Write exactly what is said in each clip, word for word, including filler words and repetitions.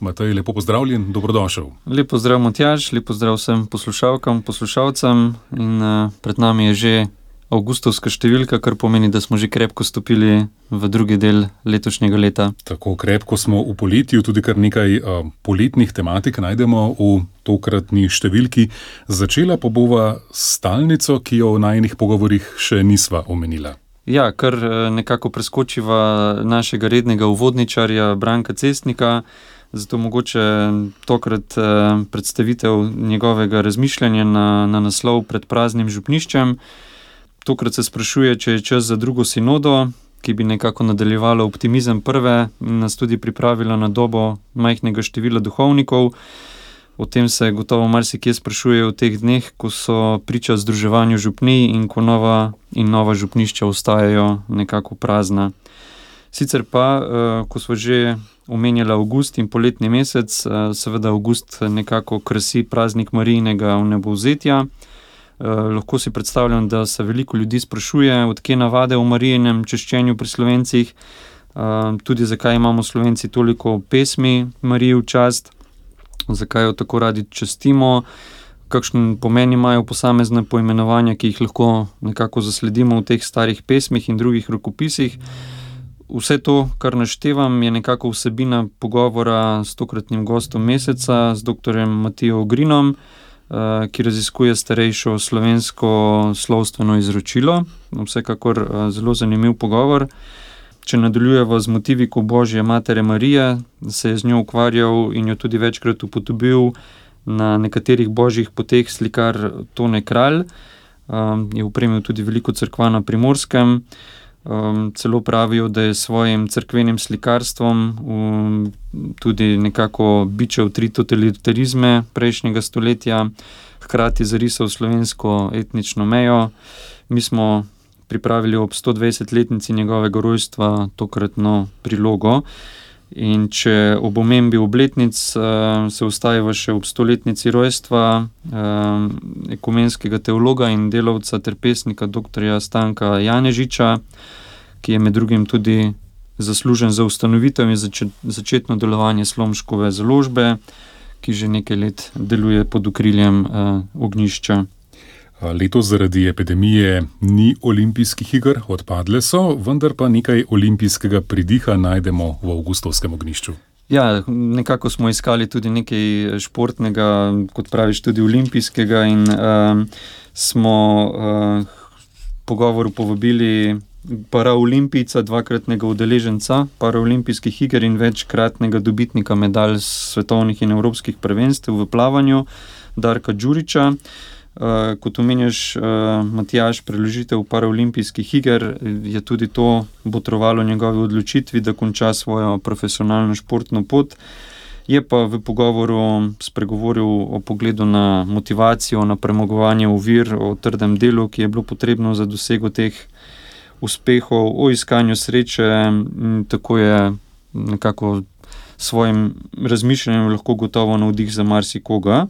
Matej, lepo pozdravljen, dobrodošel. Lep pozdrav, Matjaž, lep pozdrav vsem poslušalkam, poslušalcem in uh, pred nami je že avgustovska številka, kar pomeni, da smo že krepko stopili v drugi del letošnjega leta. Tako krepko smo v poletju, tudi kar nekaj uh, poletnih tematik najdemo v tokratni številki. Začela pa bova stalnico, ki jo v najinih pogovorih še nisva omenila. Ja, kar nekako preskočiva našega rednega uvodničarja Branka Cestnika, zato mogoče tokrat predstavitev njegovega razmišljanja na, na naslov Pred praznim župniščem. Tokrat se sprašuje, če je čas za drugo sinodo, ki bi nekako nadaljevala optimizem prve in nas tudi pripravila na dobo majhnega števila duhovnikov. O tem se gotovo marsikje sprašuje v teh dneh, ko so priča združevanju župnij in ko nova in nova župnišča ostajajo nekako prazna. Sicer pa, ko smo že omenjali avgust in poletni mesec, seveda avgust nekako krasi praznik Marijinega vnebovzetja. Lahko si predstavljam, da se veliko ljudi sprašuje, odkje navade o Marijinem češčenju pri Slovencih, tudi zakaj imamo Slovenci toliko pesmi Mariji v čast, zakaj jo tako radi častimo, kakšen pomen imajo posamezne poimenovanja, ki jih lahko nekako zasledimo v teh starih pesmih in drugih rokopisih. Vse to, kar naštevam, je nekako vsebina pogovora s tokratnim gostom meseca, z doktorjem Matijo Ogrinom, ki raziskuje starejšo slovensko slovstveno izročilo. Vsekakor zelo zanimiv pogovor. Če nadaljujeva z motiviko Božje matere Marije, se je z njo ukvarjal in jo tudi večkrat upodobil na nekaterih božjih poteh slikar Tone Kralj. Je opremil tudi veliko cerkva na Primorskem. Celo pravijo, da je s svojim cerkvenim slikarstvom tudi nekako bičal tri totalitarizme prejšnjega stoletja, hkrati zarisal slovensko etnično mejo. Mi smo pripravili ob sto dvajsetletnici njegovega rojstva tokratno prilogo. In če ob omembi obletnic se ustavimo še ob stoletnici rojstva ekumenskega teologa in delavca ter pesnika doktorja Stanka Janežiča, ki je med drugim tudi zaslužen za ustanovitev in začetno delovanje Slomškove založbe, ki že nekaj let deluje pod okriljem ognjišča. Letos zaradi epidemije ni olimpijskih iger, odpadle so, vendar pa nekaj olimpijskega pridiha najdemo v avgustovskem ognjišču. Ja, nekako smo iskali tudi nekaj športnega, kot praviš, tudi olimpijskega in uh, smo uh, pogovoru povabili paraolimpijca, dvakratnega udeleženca paraolimpijskih iger in večkratnega dobitnika medalj svetovnih in evropskih prvenstev v plavanju, Darka Đurića. Uh, kot omenjaš, uh, Matjaž, preložitev paraolimpijskih iger je tudi to botrovalo njegovi odločitvi, da konča svojo profesionalno športno pot. Je pa v pogovoru spregovoril o pogledu na motivacijo, na premagovanje ovir, o trdem delu, ki je bilo potrebno za dosego teh uspehov, o iskanju sreče. Tako je nekako svojim razmišljanjem lahko gotovo navdih za marsikoga.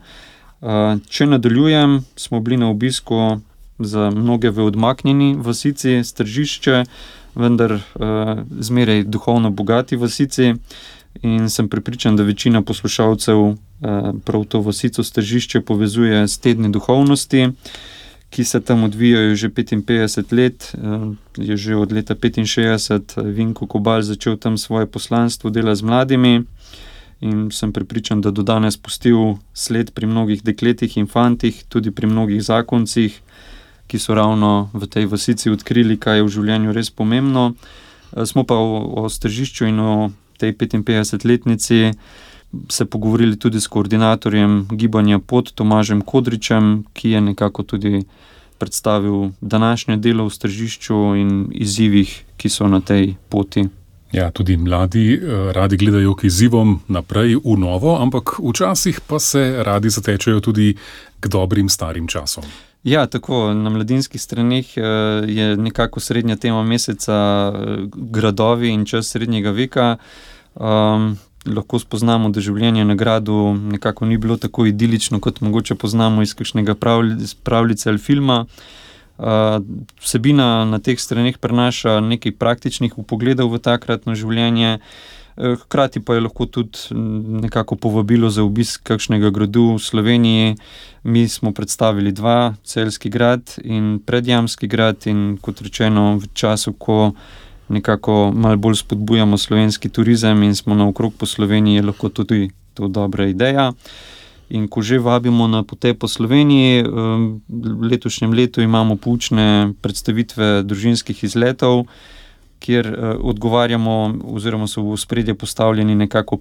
Če nadaljujem, smo bili na obisku za mnoge v odmaknjeni vasici Stržišče, vendar zmeraj duhovno bogati vasici in sem prepričan, da večina poslušalcev prav to vasico Stržišče povezuje s tedni duhovnosti, ki se tam odvijajo že petinpetdeset let. Je že od leta petinšestdeset Vinko Kobal začel tam svoje poslanstvo dela z mladimi. In sem prepričan, da do danes pustil sled pri mnogih dekletih in fantih, tudi pri mnogih zakoncih, ki so ravno v tej vasici odkrili, kaj je v življenju res pomembno. Smo pa o, o Stržišču in o tej petinpetdesetletnici se pogovorili tudi s koordinatorjem gibanja Pot, Tomažem Kodričem, ki je nekako tudi predstavil današnje delo v Stržišču in izzivih, ki so na tej poti. Ja, tudi mladi radi gledajo k izzivom naprej v novo, ampak včasih pa se radi zatečejo tudi k dobrim starim časom. Ja, tako, na mladinskih straneh je nekako srednja tema meseca gradovi in čas srednjega veka. Um, lahko spoznamo, da življenje na gradu nekako ni bilo tako idilično, kot mogoče poznamo iz kakšnega pravljice ali filma. Uh, vsebina na teh straneh prenaša nekaj praktičnih vpogledov v takratno življenje, Hkrati pa je lahko tudi nekako povabilo za obisk kakšnega gradu v Sloveniji. Mi smo predstavili dva, Celjski grad in Predjamski grad, in kot rečeno, v času, ko nekako malo bolj spodbujamo slovenski turizem in smo naokrog po Sloveniji, je lahko tudi to dobra ideja. In ko že vabimo na potep po Sloveniji, v letošnjem letu imamo poučne predstavitve družinskih izletov, kjer odgovarjamo oziroma so v ospredje postavljeni nekako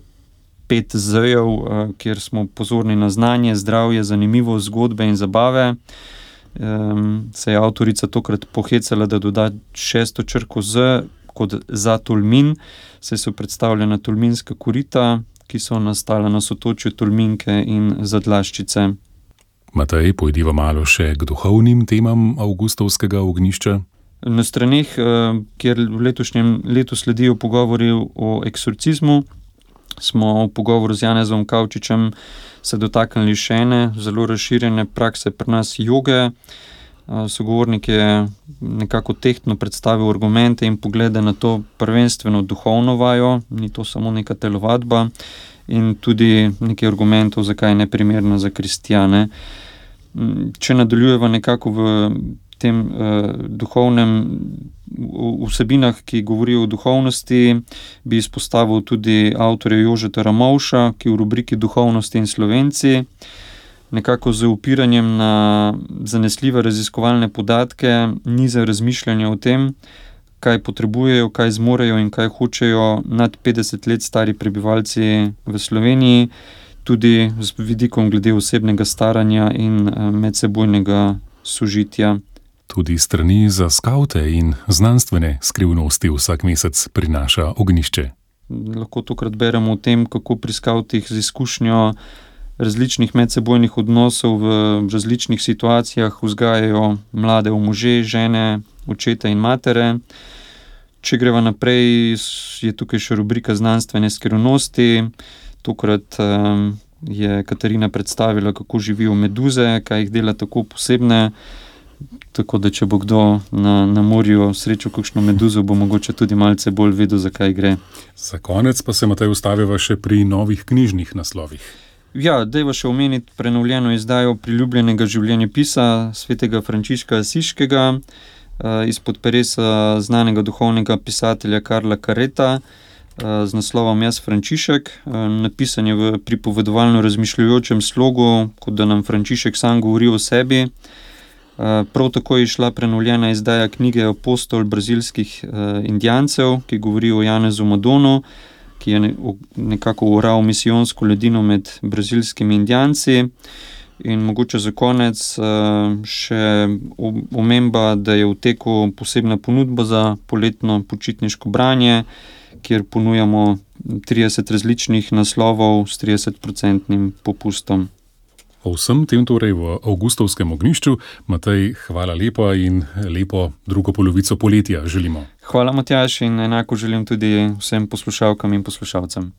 pet Z-jev, kjer smo pozorni na znanje, zdravje, zanimivost, zgodbe in zabave. Se je avtorica tokrat pohecala, da doda šesto črko Z kot za Tolmin, saj so predstavljena tolminska korita, ki so nastala na sotočju Tolminke in Zadlaščice. Matej, pojdiva malo še k duhovnim temam avgustovskega ognjišča. Na straneh, kjer v letošnjem letu sledijo pogovori o eksorcizmu, smo v pogovoru z Janezom Kavčičem se dotaknili še ene zelo razširjene prakse pri nas joge. Sogovornik je nekako tehtno predstavil argumente in poglede na to prvenstveno duhovno vajo, ni to samo neka telovadba, in tudi nekaj argumentov, zakaj je neprimerna za kristjane. Če nadaljujeva nekako v tem uh, duhovnem vsebinah, ki govorijo o duhovnosti, bi izpostavil tudi avtorja Jožeta Ramovša, ki v rubriki Duhovnosti in Slovenci nekako z upiranjem na zanesljive raziskovalne podatke niza razmišljanja o tem, kaj potrebujejo, kaj zmorejo in kaj hočejo nad petdeset let stari prebivalci v Sloveniji, tudi z vidikom glede osebnega staranja in medsebojnega sožitja. Tudi strani za skavte in znanstvene skrivnosti vsak mesec prinaša ognjišče. Lahko tokrat beremo o tem, kako pri skavtih z izkušnjo različnih medsebojnih odnosov v različnih situacijah vzgajajo mlade v može, žene, očete in matere. Če greva naprej, je tukaj še rubrika znanstvene skrivnosti. Tokrat um, je Katarina predstavila, kako živijo meduze, kaj jih dela tako posebne. Tako da, če bo kdo na, na morju srečal kakšno meduzo, bo mogoče tudi malce bolj vedel, zakaj gre. Za konec pa se, Matej, ustaviva še pri novih knjižnih naslovih. Ja, dajva še omeniti prenovljeno izdajo priljubljenega življenjepisa svetega Frančiška Asiškega izpod peresa znanega duhovnega pisatelja Karla Kareta z naslovom Jaz Frančišek. Napisan je v pripovedovalno razmišljujočem slogu, kot da nam Frančišek sam govori o sebi. Prav tako je šla prenovljena izdaja knjige Apostol brazilskih indijancev, ki govori o Janezu Madonu, ki je nekako oral misijonsko ledino med brazilskimi indijanci. In mogoče za konec še omemba, da je v teku posebna ponudba za poletno počitniško branje, kjer ponujamo trideset različnih naslovov s tridesetprocentnim popustom. O vsem tem torej v avgustovskem ognjišču. Matej, hvala lepa in lepo drugo polovico poletja želimo. Hvala, Matjaž, in enako želim tudi vsem poslušalkam in poslušalcem.